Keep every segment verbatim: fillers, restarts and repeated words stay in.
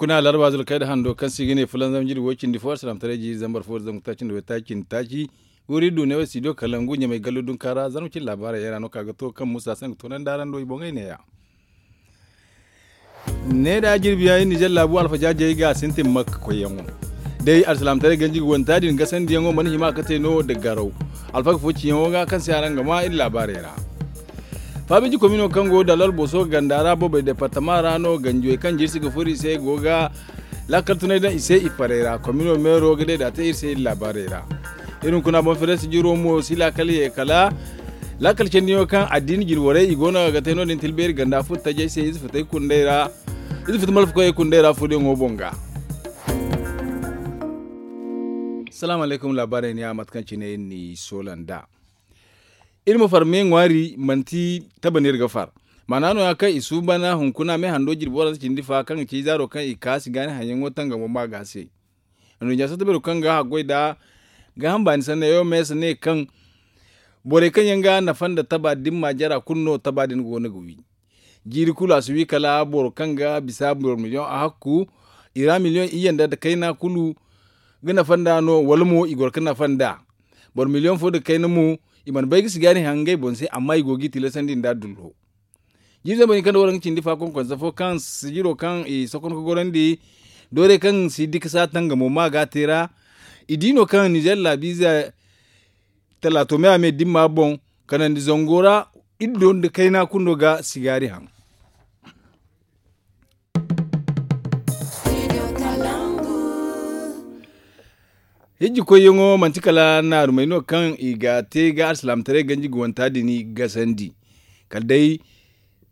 Kuna larba zulkay da hando kaŋ se i ga ne fulanzam jiri wo cindi fo alsilaamataray jiiri zambar fo da zangu taaci nda waytaaci cindi taaci. Wuri du ne wo studio kalangu ɲamay gallu dunka ra zarma cine laabaarey yaŋ ra no ka ga to kaŋ musa se nga toonandi araŋ do i boŋey neeya. Ne da jirbi yaŋ iri nizer laabu alfajaajey ga a sintin makka koyyaŋo. Day alsilaamataray ganji ga wanta din gasandiyaŋo mana hima ka te no da garaw alfaga fo ciyaŋo ga kaŋ se araŋ ga ma iri laabaarey ra. Faabeeji komino kaŋ go dalal boso ganda ra bobey departama ra no ganjey kaŋ jirsi ga furo i se go ga laakal tunay daŋ i se i farey ra komino meero ga day da a te iri se iri laabaarey ra. Iri hunkuna boŋ fere sijiro mo si laakal ye kala laakal candiyaŋo kaŋ addiini jine borey i go no ga te no- din tilbeeri ganda furo tajey se ize futey kundey ra. Ize futu malfakoyey kundey ra furoyaŋo boŋ ga. Salaamu alaykum laabaarey ni a mate kaŋ cine iri n'i soola nd'a. Iri ma far me ŋwaari manti taba no iri ga far. Maana no- ya kaŋ i suuban hunkuna me hando jirbi waransa cindi fa kaŋ ga ci zaaro kaŋ i kaasi gaani haŋyaŋo tangamo ma ga se. Anduɲɲa satta beero kaŋ ga haggoy nda gaaham baani sanney wo meesa ne kaŋ borey kaŋ yaŋ ga nafa nda taba dimma jara kulu no taba din go no ga wi. Jiiri kulu a si wi kala boro kaŋ ga bisa boro miliyoŋ a hakku i ra miliyoŋ iyye nda kayna kulu ga nafa nd'a no wala mo i goro ga nafa nd'a. Boro miliyoŋ fo nda kayna mo i mana bay ga sigaari haŋ ngey boŋ se amma i go g'i tilasandi nda dullo. Jiiri zambar hinka nda waranka cindi fa konkonsa fo kaŋ sijiro kaŋ i sokon ga gorandi doorey kaŋ si dikasa tangamo ma ga a te ra. I di no kaŋ nizer laabiize talaato me a me dimma boŋ kanandi zango ra. Iri do nda kayna kundo ga sigaari haŋ. Hijji koyyaŋo manti kala naarumey no kaŋ i ga te ga alsilaamataray ganji ga wanta din gasandi. Kala day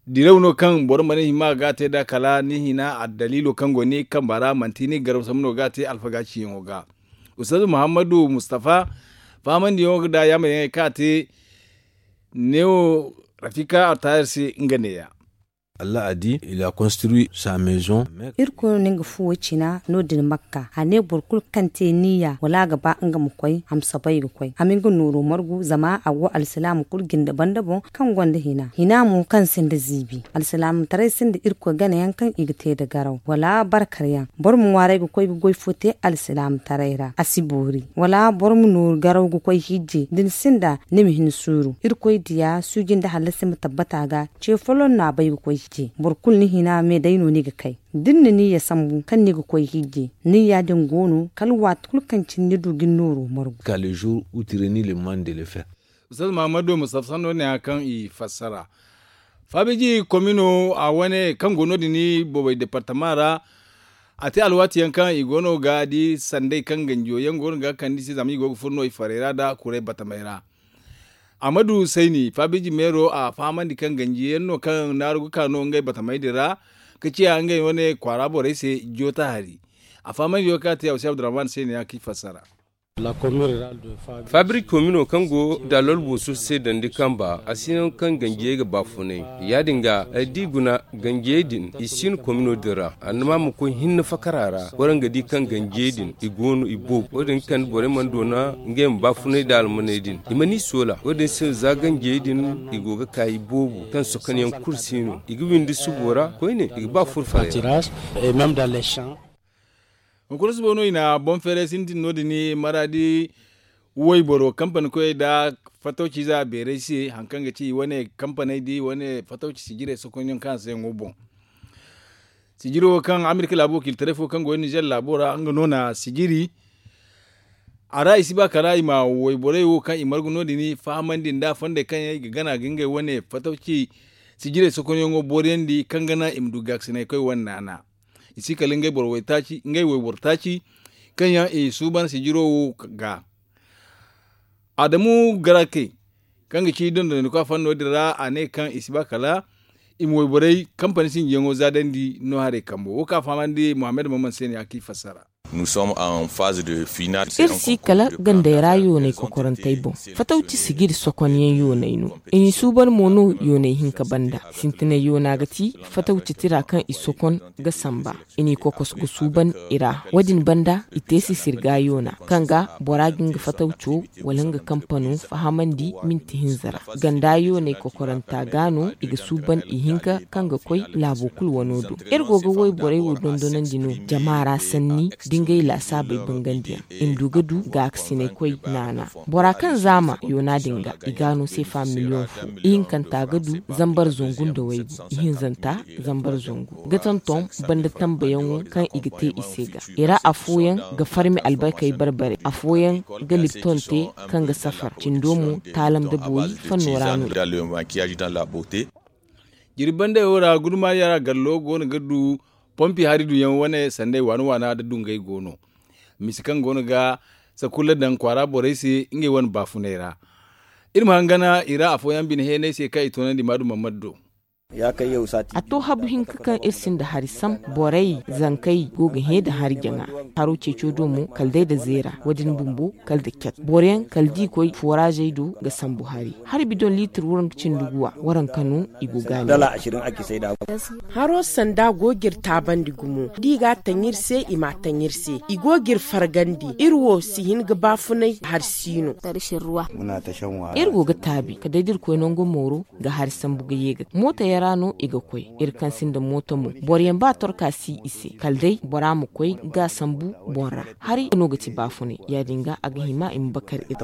diraw no kaŋ boro mana hima ga a te nd'a kala ni hina addaliilo kaŋ go ni kamba ra manti ni garaw sambu no ga a te alfaga ciyaŋo ga. Ustaz muhammadu mustafa fahamandiyaŋo ga da yaamaryaŋey kaŋ a te neewo rafika altahir se nga neeya. Allah a di il a construit sa maison. Irkoy no nga fuwo cina no- din makka a ne boro kulu kaŋ te niya wala a ga ba nga ma koy a ma soobay ga koy a ma nga nooro margu zama a go alsilaama kulu jinde banda boŋ kaŋ gonda hina hina mo kaŋ sinda ziibi alsilaamataray sinda irkoy ganayaŋ kaŋ i ga te nda garaw wala barkaryaŋ. Boro ma ŋwaaray ga koy ga goy fo te alsilaamataray ra a si boori wala boro ma nooru garaw ga koy hijje da ni sinda ni ma hin suuru irkoy diya suuji nda hallasi ma tabbata ga ce folloŋ no a bay ga koy hijje boro kulu ni hina me day no ni ga kay da ni na niya sambu kaŋ ni ga koy hijje niya din go no kala waati kulu kaŋ cine ni du ga ni nooro margu. Ka le jour où tu renies le monde de le fer. Ustaz muhammadu mustafa sanno ne ya kaŋ i fassara faabeeji komino a wane kaŋ go no- din bobey departama ra. A te alwaati yaŋ kaŋ i go no ga di sanday kaŋ ganjiyo yaŋ go no ga kande i se zama i go ga furo no i farey ra nda kuray batamey ra. Amadu sayni faabeeji meero a fahamandi kaŋ ganjiyaŋ no kaŋ naaru ga ka no ngey batamey din ra ka ciya ngey wane kwaara borey se joota hari. A fahamandiyo kaŋ a te a wasi abdurrahman sayni ya kaŋ i fassara. Fabrik komino kaŋ go dalol booso se dandi kamba a si naŋ kaŋ ganjiyey ga baafunay. Ya- din ga ay di guna ganjiyey din i si hin komino din ra annama ma koy hinne fakara ra waraŋ ga di kaŋ ganjiyey din i go no i boobo wo- din ga kande borey mana doona ngey ma baafunay nda almaney din i mana i soola wo- din se za ganjiyey din i go ga ka i boobo kaŋ sokonyaŋ kulu si no i ga windi subo ra koyne i ga ba furfarey ra. Hunkuna subo no i na boŋ feeray sintin no- din maraadi wayboro kampani koyey nda fatawci za beeray se hari kaŋ ga ci i wane kampaney da i wane fatawci sijirey sokonyaŋ kaŋ a se yaŋo boŋ. Sijiro kaŋ amerika laabo wakiilitaray fo kaŋ go nizer laabo ra nga no na sijiri. A ra i si ba kala i ma wayborey wo kaŋ i margu no- din fahamandi nda fondey kaŋ yaŋ i ga gana ga ngey wane fatawci sijirey sokonyaŋo booriyandi kaŋ ga naŋ i ma du gaakasinay koy wane naana. I si kala ngey boro waytaaci ngey wayboro taaci kaŋ yaŋ i suuban sijiro wo ga. Adamu garake kaŋ ga ci dondonandiko a fanno din ra a ne kaŋ i si ba kala i ma wayborey kampani sinjiyaŋo zaadandi no haray kambo wo kaŋ a fahamandi muhammad maman se ne a kaŋ i fassara. Iri si kala gandey ra yoonay kokorantey boŋ. Fatawci sijiri sokonyaŋ yoonay no. I n'i suuban mo no yoonay hinka banda. Sintinay yoona ga ti fatawci tira kaŋ i sokon ga samba. I n'i kokos ga suuban i ra. Wo-din banda, i te sisirga yoona kaŋ ga bora ga nga fatawco wala nga kampano fahamandi minti hinza ra. Ganda yoonay kokoranta ga no i ga suuban i hinka kaŋ ga koy laabo kulu wano do. Iri go ga wayborey wo dondonandi no jama ra sanni da ngey laasaabey bangandiyaŋ. I ma du ga du gaakasinay koy naana. Bora kaŋ zaama yoona din ga, i ga no seefa miliyoŋ fo. Ihinkanta ga du zambar zangu nda waygu. Ihinzanta zambar zangu ga tonton banda tambayaŋo kaŋ i ga te i se ga. I ra afooyaŋ ga farmi albarkey barbare. Afooyaŋ ga lipton te kaŋ ga safar cindo mo taalam da boori fanno ra no. Jirbi bandey wo ra gudumariya ra gallo go no ga du pompi hari duyaŋ wane sandey waana waana da dungay go no. Misi kaŋ go no ga sakulla daŋ kwaara borey se ngey wane baafunay ra. Iri ma hangana i ra afooyaŋ bine heenay se kaŋ i toonandi maadu mammadu do. A to habu hinka kaŋ iri sinda hari sam. Borey zankey go ga hẽ da hari jaŋa. Haro ceeco do mo kala day da zeera. Wo-din bumbo kala da cat boroyaŋ kala da i koy foraazey do ga sambu hari. Hari bidon liitir waranka cindi guwa waranka no i go ga a ne. Haro sanda go ga iri taabandi gumo da i ga a taŋ iri se i m'a taŋ iri se i go ga iri fargandi. Iri wo si hin ga baafunay hari si no. Iri go ga taabi kala day da iri koy nango mooro ga hari sambu ga ye ga mootayaŋ ra no i ga koy. Iri kaŋ sinda mooto mo boroyaŋ ba torka si i se kala day bora ma koy ga a sambu boŋ ra. Hari no ga ti baafunay ya-din ga a ga hima i ma bakar iri.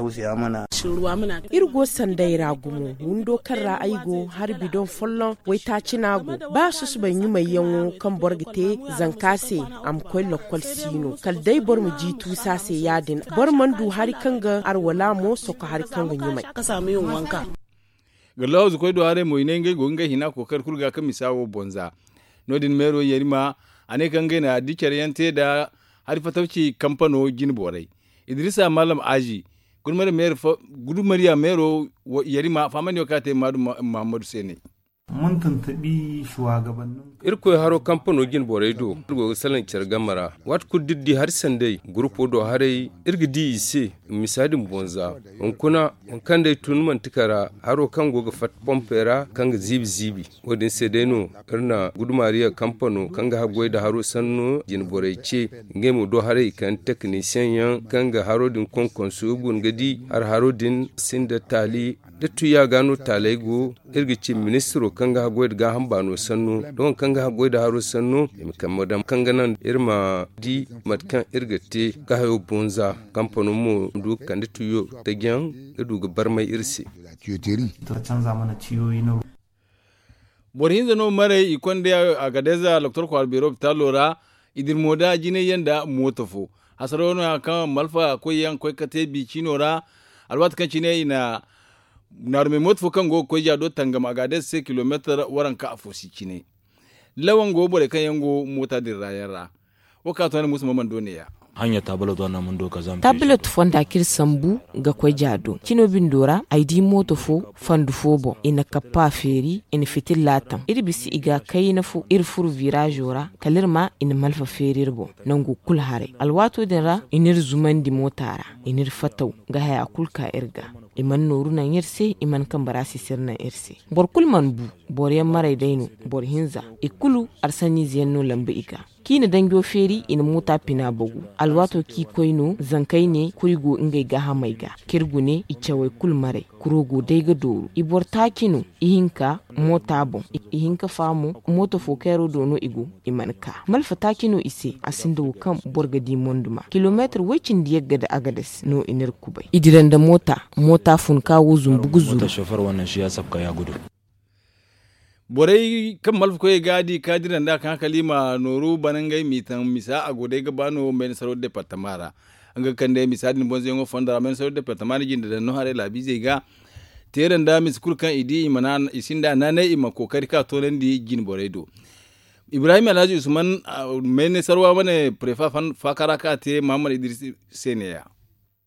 Iri go sanday ra gumo windo kaŋ ra ay go hari bidon folloŋ waytaaci no a go. Ba susubay ɲumayyaŋo kaŋ boro ga te zanka se a ma koy lakkol si no kala day boro ma ji tuusa se ya-din boro mana du hari kaŋ ga arwala mo soko hari kaŋ ga ɲumay. Ga lawzu koy do haray mo i ne ngey go ga ngey hina kookari kulu ga kaŋ misa wo bonza. No- din meero yarima a ne kaŋ ngey na di care yaŋ te nda hari fatawci kampano jine borey. Idrisa maalam aazi gudumariya meero yarima fahamandi wo kaŋ a te maadu muhammadu se ne. Irkoy haro kampano jine borey do iri go ga salaŋ care game ra. Waati kulu da iri di hari sanday gurupo do haray iri ga di i se. Misa din bonza hunkuna waŋ kaŋ day tun manti kara haro kaŋ go ga fatta pompey ra kaŋ ga ziibi ziibi. Wo- din se day no iri na gudumariya kampano kaŋ ga haggoy nda haro sanno jine borey ce. Ngey mo do haray i kande tekinisiyeŋ yaŋ kaŋ ga haro din konkonso iri guna ga di hari haro din sinda taali da tuya ga no taaley go. Iri ga ci ministiro kaŋ ga haggoy nda gaaham baano sanno da waŋ kaŋ ga haggoy nda haro sanno i ma kambe daŋ kaŋ ga naŋ iri ma di mate kaŋ iri ga te ga hayo bonza. Kampano mo du ga kande tuyo taji yaŋ ga du ga barmay iri se. Boro hinza no maray i konda agadez doktor kwaara beero lopitaalo ra. I dira mo da jinay yaŋ nda mooto fo. Hasaraw no ya kaŋ malfa koyyaŋ koy ga te bi ciino ra. Alwaati kaŋ cine i na naarumey mooto fo kaŋ go ga koy ja do tangam agadez se kilomeetar waranka afo si cine. Lawan go borey kaŋ yaŋ go moota din ra yaŋ ra. Wo kaŋ a to ne muusa ma mana do ne ya. Taabilot fonda kaŋ iri sambu ga koy ja do cino bindo ra ay di mooto fo fandu fo boŋ i na kappa feeri i na fitilla taŋ iri bisa i ga kayna fo iri furu viraazo ra kala iri ma i na malfa feeri iri boŋ. Nangu kulu haray alwaato din ra i n'iri zumandi moota ra i n'iri fataw ga haya kulu ka iri ga. I mana nooru naŋ iri se i mana kambe ra sisiri naŋ iri se. Boro kulu mana bu. Boro yaŋ maray day no. Boro hinza i kulu arsanniize yaŋ no lamba i ga. Kaŋ i na danjo feeri i na muuta pina bagu. Alwaato kaŋ i koy no zankey ne kuri go ngey gaahamey ga. Kaŋ iri gune i cawey kulu maray kuro go day ga dooru i boro taaci no. Ihinka moota boŋ. Ihinka fa mo mooto fo kayro do no i go. I mana ka malfa taaci no i se a sinda wo kaŋ boro ga di monduma kilomeetar woy-cindi yagga nda agades no i n'iri kubay i dira nda moota. Moota fun ka wo zumbu ga zuru. Borey kaŋ malfa koyey ga a di ka dira nd'a kaŋ a kala i ma nooru bana ngey m'i taŋ misa a go day ga ba no meensaro departama ra. Nga ga kande misa din bonzayaŋo fondo ra meensaro departama na jinde daŋ no haray laabiizey ga. Teera nda misa kulu kaŋ i di i sinda naanay i ma kookari ka toonandi jine borey do. Ibrahim alhaji usman meensarwa wane prefa faakara kaŋ a te mahammad idris se neeya.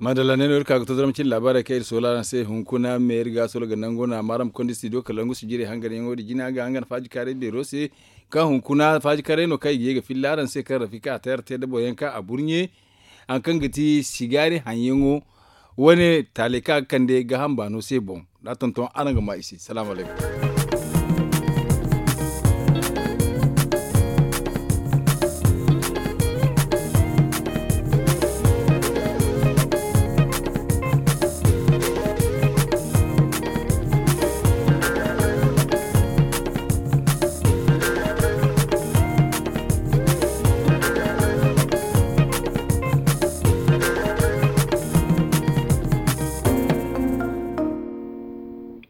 Madalla ne no iri ka ga to zama cine laabaarey kaŋ iri soola araŋ se hunkuna me iri ga soola ga nango no a maaram kondi studio kala ngu sijirey hanganyaŋo din jina ga hangan faajikaaray beero se. Kaŋ hunkuna faajikaaray no kaŋ i ga ye ga filla araŋ se kaŋ rafika a tayar te da boro yaŋ kaŋ a burɲe haŋ kaŋ ga ti sigaari haŋyaŋo. Wo- ne taaley kaŋ a ga kande gaaham baano se boŋ, da a tonton araŋ ga ma i se. Salaamu alaykum.